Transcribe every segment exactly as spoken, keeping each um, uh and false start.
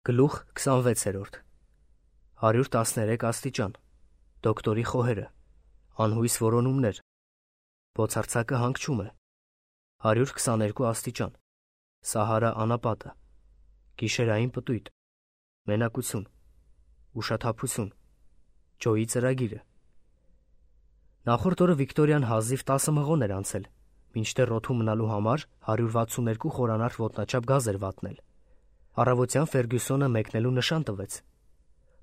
Գլուխ քսանվեցերորդ հարյուր տասներեք աստիճան դոկտորի խոհերը անհույս որոնումներ բոցարձակը հանգչում է հարյուր քսաներկու աստիճան Սահարա անապատը գիշերային պտույտ մենակություն ուշաթափություն ջոյի ծրագիրը Նախորդ օրը Վիկտորիան հազիվ տասը մղոն էր անցել մինչդեռ օդում մնալու համար հարյուր վաթսուններկու խորանարդ ոտնաչափ գազ էր վատնել Առավոտյան Ֆերգյուսոնը մեկնելու նշան տվեց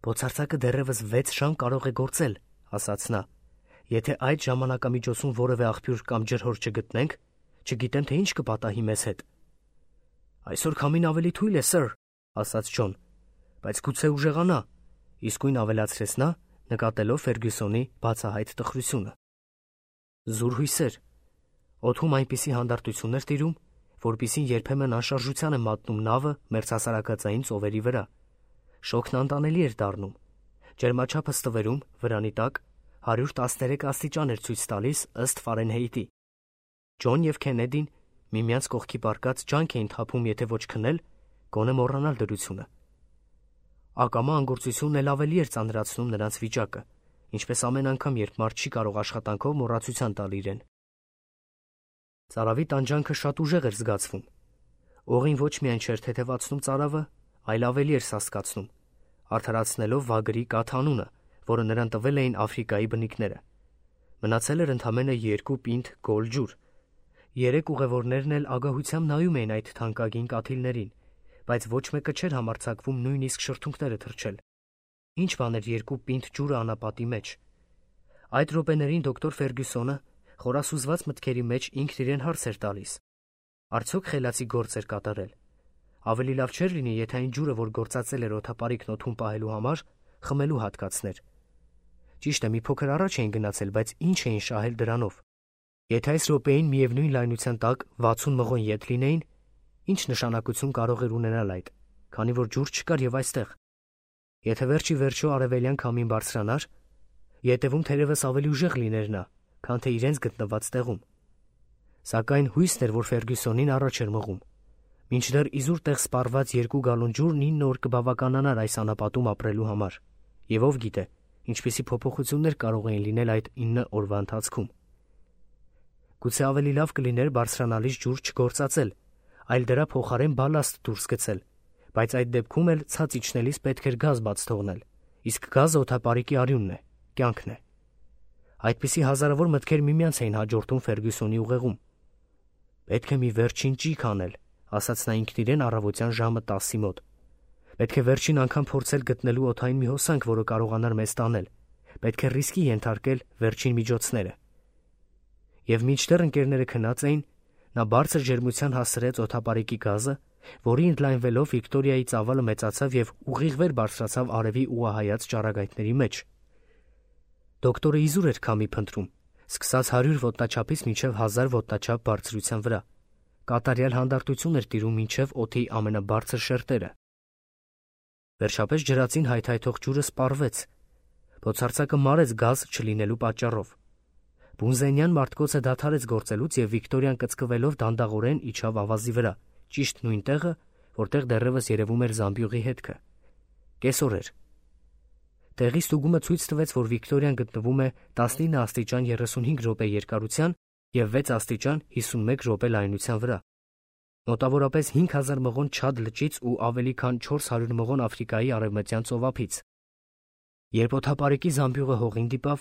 Բոցարձակը դեռևս վեց ժամ կարող է գործել, ասաց նա Եթե այդ ժամանակամիջոցում որևէ աղբյուր կամ ջրհոր չգտնենք, չգիտեմ թե ինչ կպատահի մեզ հետ Այսօր քամին ավելի թույլ է, սըր, ասաց Ջոն, բայց գուցե ուժեղանա, իսկույն ավելացրեց նա, նկատելով Ֆերգյուսոնի բացահայտ տխրությունը Զուր հույսեր, օդում այնպիսի հանդարտություն էր տիրում, որպիսին երբեմն անշարժության է մատնում նավը մերձհասարակածային ծովերի վրա Շոգն անտանելի էր դառնում, ջերմաչափը ստվերում, վրանի տակ, հարյուր տասներեք աստիճան էր ցույց տալիս ըստ Ֆարենհեյտի Ջոն և Քենեդին միմյանց կողքի պառկած ջանք էին թափում եթե ոչ քնել, գոնե մոռանալ դրությունը Ակամա անգործությունն էլ ավելի էր ծանրացնում նրանց վիճակը, ինչպես ամեն անգամ, երբ մարդ չի կարող աշխատանքով մոռացության տալ իրեն Ծարավի տանջանքը շատ ուժեղ էր զգացվում Օղին ոչ միայն չէր թեթևացնում ծարավը, այլ ավելի էր սաստկացնում, արդարացնելով վագրի կաթ անունը, որը նրան տվել էին Աֆրիկայի բնիկները Մնացել էր ընդամենը երկու պինդ գոլ ջուր Երեք ուղևորներն էլ ագահությամբ նայում էին այդ թանկագին կաթիլներին, բայց ոչ մեկը չէր համարձակվում նույնիսկ շրթունքները թռչել Ինչ բան էր երկու պինդ ջուրը անապատի մեջ Այդ րոպեներին դոկտոր Ֆերգյուսոնը խորասուզված մտքերի մեջ ինքն իրեն հարց էր տալիս Արդյոք խելացի գործ էր կատարել Ավելի լավ չէր լինի, եթե այն ջուրը, որ գործածել էր օդապարիկն օդում պահելու համար, խմելու հատկացներ Ճիշտ է, մի փոքր առաջ էին գնացել, բայց ինչ էին շահել դրանով Եթե այս րոպեին միևնույն լայնության տակ վաթսուն մղոն ետ լինեին, ինչ նշանակություն կարող էր ունենալ այդ, քանի որ ջուր չկար և այստեղ Եթե վերջ ի վերջո արևելյան քամին բարձրանար, ետևում թերևս ավելի ուժեղ լիներ նա, քան թե իրենց գտնված տեղում Սակայն հույսն էր, որ Ֆերգյուսոնին առաջ էր մղում Մինչդեռ իզուր տեղ սպառված երկու գալոն ջուրն ինը օր կբավականանար այս անապատում ապրելու համար և ով գիտե, ինչպիսի փոփոխություններ կարող էին լինել այդ ինը օրվա ընթացքում Գուցե ավելի լավ կլիներ բարձրանալից ջուր չգործածել, այլ դրա փոխարեն բալաստ դուրս գցել, բայց այդ դեպքում էլ ցած իջնելիս պետք էր գազ բաց թողնել, իսկ գազը օդապարիկի արյունն է, կյանքն է Այդպիսի հազարավոր մտքեր միմյանց էին հաջորդում Ֆերգյուսոնի ուղեղում Պետք է մի վերջին ճիգ անել, ասաց նա ինքն իրեն առավոտյան ժամը տասի մոտ Պետք է վերջին անգամ փորձել գտնելու օդային մի հոսանք, որը կարողանար մեզ տանել Պետք է ռիսկի ենթարկել վերջին միջոցները Եվ մինչդեռ ընկերները քնած էին, նա բարձր ջերմության հասցրեց օդապարիկի գազը, որի ընդլայնվելով Վիկտորիայի ծավալը մեծացավ և ուղիղ վեր բարձրացավ արևի ուղղահայաց ճառագայթների մեջ Դոկտորը իզուր էր քամի փնտրում, սկսած հարյուր ոտնաչափից մինչև հազար ոտնաչափ բարձրության վրա Կատարյալ հանդարտություն էր տիրում մինչև օդի ամենաբարձր շերտերը Վերջապես ջրածին հայթայթող ջուրը սպառվեց Բոցարձակը մարեց գազ չլինելու պատճառով Բունզենյան մարտկոցը դադարեց գործելուց և Վիկտորիան կծկվելով դանդաղորեն իջավ ավազի վրա, ճիշտ նույն տեղը, որտեղ դեռևս երևում էր զամբյուղի հետքը Կեսօր էր Տեղի ստուգումը ցույց տվեց, որ Վիկտորիան գտնվում է տասնինը աստիճան երեսունհինգ րոպե երկարության և վեց աստիճան հիսունմեկ րոպե լայնության վրա Մոտավորապես հինգ հազար մղոն Չադ լճից ու ավելի քան չորս հարյուր մղոն Աֆրիկայի արևմտյան ծովափից Երբ օդապարիկի զամբյուղը հողին դիպավ,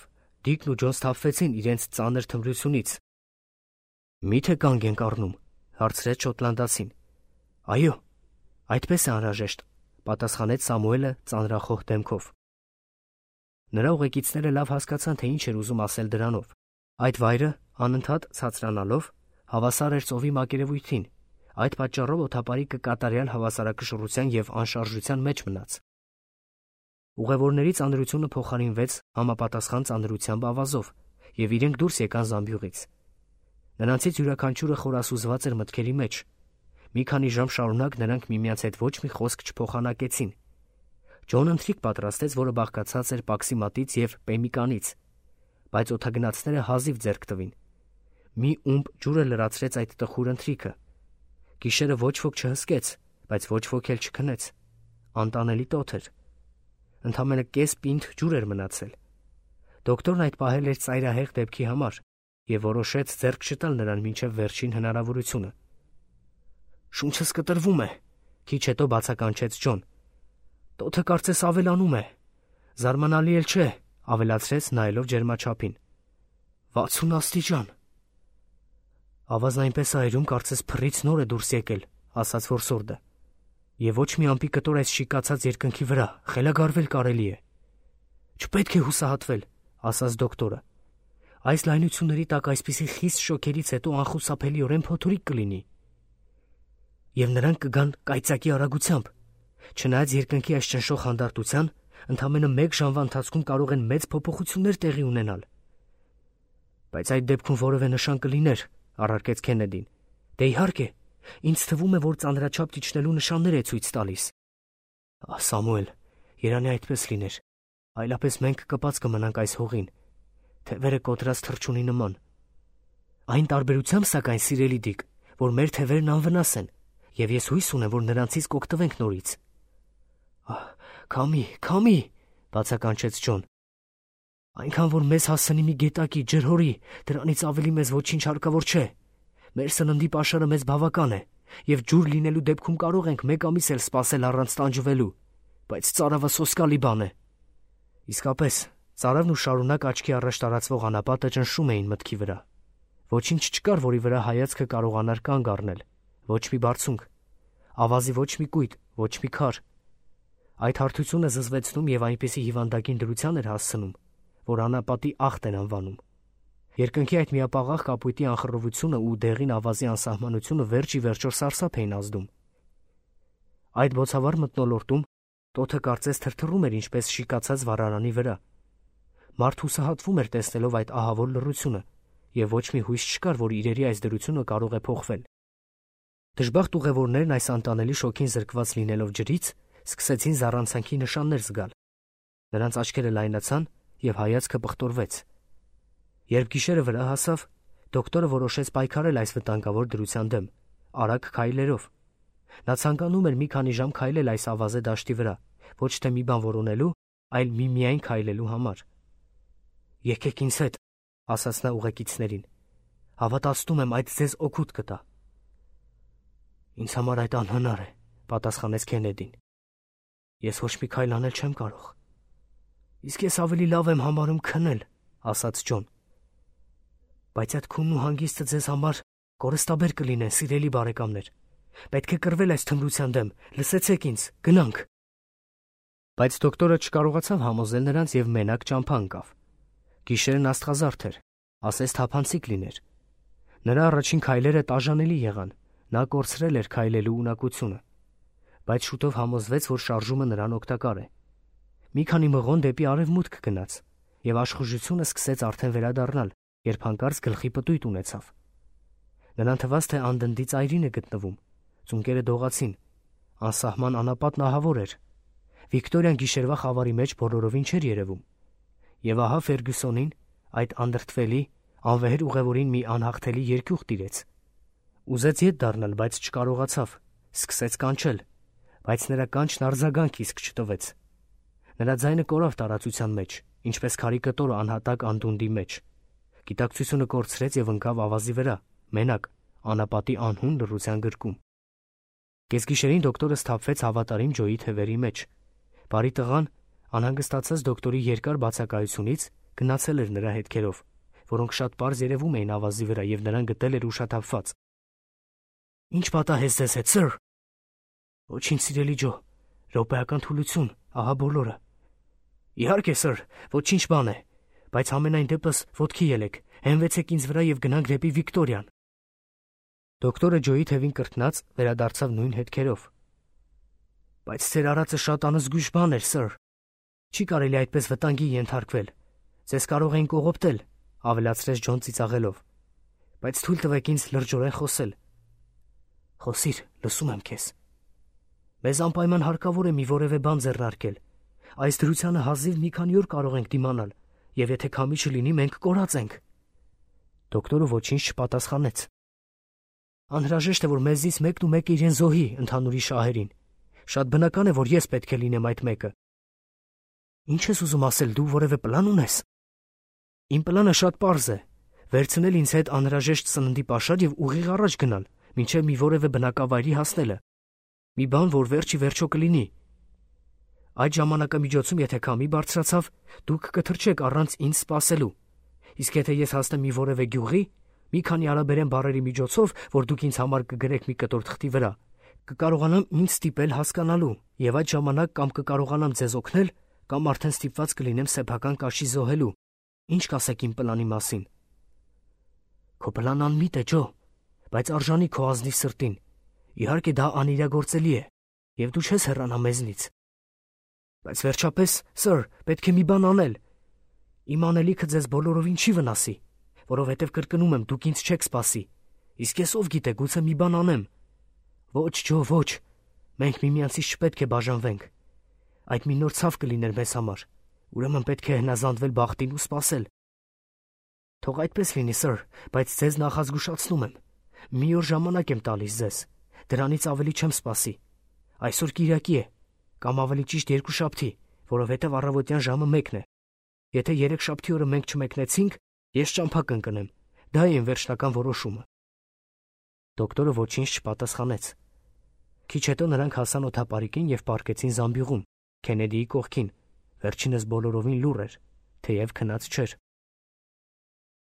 Դիկն ու Ջոն սթափվեցին իրենց ծանր թմրությունից Մի՞թե կանգ ենք առնում, հարցրեց շոտլանդացին Այո, այդպես է անհրաժեշտ, պատասխանեց Սամուելը ծանրախոհ դեմքով Նրա ուղեկիցները լավ հասկացան, թե ինչ էր ուզում ասել դրանով Այդ վայրը, անընդհատ ցածրանալով, հավասար էր ծովի մակերևույթին Այդ պատճառով օդապարիկը կատարյալ հավասարակշռության և անշարժության մեջ մնաց Ուղևորների ծանրությունը փոխարինվեց համապատասխան ծանրությամբ ավազով և իրենք դուրս եկան զամբյուղից Նրանցից յուրաքանչյուրը խորասուզված էր մտքերի մեջ Մի քանի ժամ շարունակ նրանք միմյանց հետ ոչ մի խոսք չփոխանակեցին Ջոնը ընթրիք պատրաստեց, որը բաղկացած էր պաքսիմատից և պեմիկանից Բայց օդագնացները հազիվ ձեռք տվին Մի ումբ ջուրը լրացրեց այդ տխուր ընթրիքը Գիշերը ոչ ոք չհսկեց, բայց ոչ ոք էլ չքնեց Անտանելի տոթ էր։ Ընդամենը կես պինդ ջուր էր մնացել։ Դոկտորն այդ պահել էր ծայրահեղ դեպքի համար և որոշեց ձեռք չտալ նրան մինչև վերջին հնարավորությունը։ «Շունչս կտրվում է», քիչ հետո բացականչեց Ջոն։ «Տոթը կարծես ավելանում է։ Զարմանալի էլ չէ», ավելացրեց նայելով ջերմաչափին։ «վաթսուն աստիճան»։ Ավազն այնպես է այրում, կարծես փռից նոր է դուրս եկել, ասաց որսորդը։ Եվ ոչ մի ամպի կտոր այս շիկացած երկնքի վրա, խելագարվել կարելի է։ Չպետք է հուսահատվել, ասաց դոկտորը։ Այս լայնությունների տակ այսպիսի խիստ շոքերից հետո անխուսափելիորեն փոթորիկ կլինի։ Եվ նրանք կգան կայծակի արագությամբ։ Չնայած երկնքի այս ճնշող հանդարտության, ընդամենը մեկ ժամվա ընթացքում կարող են մեծ փոփոխություններ տեղի ունենալ։ Բայց այդ դեպքում որևէ նշան կլիներ, առարկեց Քեննեդին։ Դե իհարկե, ինձ թվում է, որ ծանրաչափ իջնելու նշաններ է ցույց տալիս։ Ահ, Սամուել, երանի այդպես լիներ, այլապես մենք կպած կմնանք այս հողին, թևերը կոտրած թռչունի նման։ Այն տարբերությամբ, սակայն, սիրելի Դիկ, որ մեր թևերն անվնաս են, և ես հույս ունեմ, որ նրանցից կօգտվենք նորից։ Ահ, քամի, քամի, բացականչեց Ջոն։ Այնքան որ մեզ հասցնի մի գետակի, ջրհորի, դրանից ավելի մեզ ոչինչ հարկավոր չէ։ Մեր սննդի պաշարը մեզ բավական է, և ջուր լինելու դեպքում կարող ենք մեկ ամիս էլ սպասել առանց տանջվելու, բայց ծարավը սոսկալի բան է։ Իսկապես, ծարավն ու շարունակ աչքի առաջ տարածվող անապատը ճնշում էին մտքի վրա։ Ոչինչ չկար, որի վրա հայացքը կարողանար կանգ առնել, ոչ մի բարձունք, ավազի ոչ մի կույտ, ոչ մի քար։ Այդ հարթությունը զզվեցնում և այնպիսի հիվանդագին դրության էր հասցնում, որ անապատի ախտ են անվանում։ Երկնքի այդ միապաղաղ կապույտի անխռովությունը ու դեղին ավազի անսահմանությունը վերջ ի վերջո սարսափ էին ազդում։ Այդ բոցավառ մթնոլորտում տոթը կարծես թրթռում էր ինչպես շիկացած վառարանի վրա։ Մարդ հուսահատվում էր տեսնելով այդ ահավոր լռությունը, և ոչ մի հույս չկար, որ իրերի այս դրությունը կարող է փոխվել։ Դժբախտ ուղևորներն այս անտանելի շոգին զրկված լինելով ջրից, սկսեցին զառանցանքի նշաններ զգալ։ Նրանց աչքերը լայնացան և հայացքը պղտորվեց։ Երբ գիշերը վրա հասավ, դոկտորը որոշեց պայքարել այս վտանգավոր դրության դեմ, արագ քայլերով։ Նա ցանկանում էր մի քանի ժամ քայլել այս ավազե դաշտի վրա, ոչ թե մի բան որոնելու, այլ միմիայն քայլելու համար։ Եկեք ինձ հետ, ասաց նա ուղեկիցներին։ Հավատացնում եմ, այդ ձեզ օգուտ կտա։ Ինձ համար այդ անհնար է, պատասխանեց Քեննեդին։ Ես ոչ մի քայլ անել չեմ կարող։ Իսկ ես ավելի լավ եմ համարում քնել, ասաց Ջոն։ Բայց այդ քունն ու հանգիստը ձեզ համար կորստաբեր կլինեն, սիրելի բարեկամներ։ Պետք է կռվել այս թմրության դեմ, լսեցեք ինձ, գնանք։ Բայց դոկտորը չկարողացավ համոզել նրանց և մենակ ճամփա ընկավ։ Գիշերն աստղազարդ էր, ասես թափանցիկ լիներ։ Նրա առաջին քայլերը տաժանելի եղան, նա կորցրել էր քայլելու ունակությունը։ Բայց շուտով համոզվեց, որ շարժումը նրան օգտակար է։ Մի քանի մղոն դեպի արևմուտք գնաց, և աշխուժությունը սկսեց արդեն վերադառնալ, երբ հանկարծ գլխի պտույտ ունեցավ։ Նրան թվաց, թե անդնդի ծայրին է գտնվում, ծունկերը դողացին, անսահման անապատն ահավոր էր։ Վիկտորիան գիշերվա խավարի մեջ բոլորովին չէր երևում։ Եվ ահա Ֆերգյուսոնին, այդ անդրդվելի, անվեհեր ուղևորին մի անհաղթելի երկյուղ տիրեց։ Ուզեց ետ դառնալ, բայց չկարողացավ, սկսեց կանչել, բայց նրա կանչն արձագանք իսկ չտվեց։ Նրա ձայնը կորավ տարածության մեջ, ինչպես քարի կտորը անհատակ անդունդի մեջ։ Գիտակցությունը կորցրեց և ընկավ ավազի վրա, մենակ, անապատի անհուն լռության գրկում։ Կեսգիշերին դոկտորը սթափվեց հավատարիմ Ջոյի թևերի մեջ։ Բարի տղան, անհանգստացած դոկտորի երկար բացակայությունից, գնացել էր նրա հետքերով, որոնք շատ պարզ երևում էին ավազի վրա, և նրան գտել էր ուշաթափված։ Ինչ պատահեց ձեզ հետ, սըր։ Ոչինչ, սիրելի Ջո, րոպեական թուլություն, ահա բոլորը։ Իհարկե, սըր, ոչինչ բան է, բայց համենայն դեպս ոտքի ելեք, հենվեցեք ինձ վրա և գնանք դեպի Վիկտորիան։ Դոկտորը Ջոյի թևին կրկնած վերադարձավ նույն հետքերով։ Բայց ձեր արածը շատ անզգույշ բան էր, սըր։ Չի կարելի այդպես վտանգի ենթարկվել։ Ձեզ կարող էին կողոպտել, ավելացրեց Ջոն ծիծաղելով։ Բայց թույլ տվեք ինձ լրջորեն խոսել։ Խոսիր, լսում եմ քեզ։ Մեզ անպայման հարկավոր է մի որևէ բան ձեռնարկել։ Այս դրությանը հազիվ մի քանի օր կարող ենք դիմանալ, և եթե քամի չլինի, մենք կորած ենք։ Դոկտորը ոչինչ չպատասխանեց։ Անհրաժեշտ է, որ մեզնից մեկն ու մեկը իրեն զոհի ընդհանուրի շահերին։ Շատ բնական է, որ ես պետք է լինեմ այդ մեկը։ Ինչ ես ուզում ասել, դու որևէ պլան ունես։ Իմ պլանը շատ պարզ է. վերցնել ինձ հետ անհրաժեշտ սննդի պաշար եւ ուղիղ առաջ գնալ, մինչեւ մի որևէ բնակավայրի հասնելը։ Մի բան, որ վերջի վերջո կլինի։ Այդ ժամանակամիջոցում, եթե քամի բարձրացավ, դուք կթրջեք առանց ինձ սպասելու։ Իսկ եթե ես հասնեմ մի որևէ գյուղի, մի քանի արաբերեն բառերի միջոցով, որ դուք ինձ համար կգրեք մի կտոր թղթի վրա, կկարողանամ ինձ ստիպել հասկանալու, եւ այդ ժամանակ կամ կկարողանամ ձեզ օգնել, կամ արդեն ստիպված կլինեմ սեփական կաշի զոհելու։ Ինչ կասեք իմ պլանի մասին։ Քո պլանն անմիտ է, Ջո, բայց արժանի քո ազնիվ սրտին։ Իհարկե դա անիրագործելի է, եւ դու չես հեռանա մեզնից։ Բայց վերջապես, սըր, պետք է մի բան անել։ Իմ անելիքը ձեզ բոլորովին չի վնասի, որովհետև կրկնում եմ, դուք ինձ չեք սպասի։ Իսկ ես ով գիտե, գուցե մի բան անեմ։ Ոչ, Ջո, ոչ։ Մենք միմյանցից չպետք է բաժանվենք։ Այդ մի նոր ցավ կլիներ մեզ համար։ Ուրեմն պետք է հնազանդվել բախտին ու սպասել։ Թող այդպես լինի, սըր, բայց ձեզ նախազգուշացնում եմ։ Մի օր ժամանակ եմ տալիս ձեզ։ Դրանից ավելի չեմ սպասի։ Այսօր կիրակի է, կամ ավելի ճիշտ երկուշաբթի, որովհետև առավոտյան ժամը մեկն է։ Եթե երեքշաբթի օրը մենք չմեկնեցինք, ես ճամփա կընկնեմ։ Դա է իմ վերջնական որոշումը։ Դոկտորը ոչինչ չպատասխանեց։ Քիչ հետո նրանք հասան օդապարիկին եւ պառկեցին զամբյուղում, Քենեդիի կողքին։ Վերջինս բոլորովին լուռ էր, թեև քնած չէր։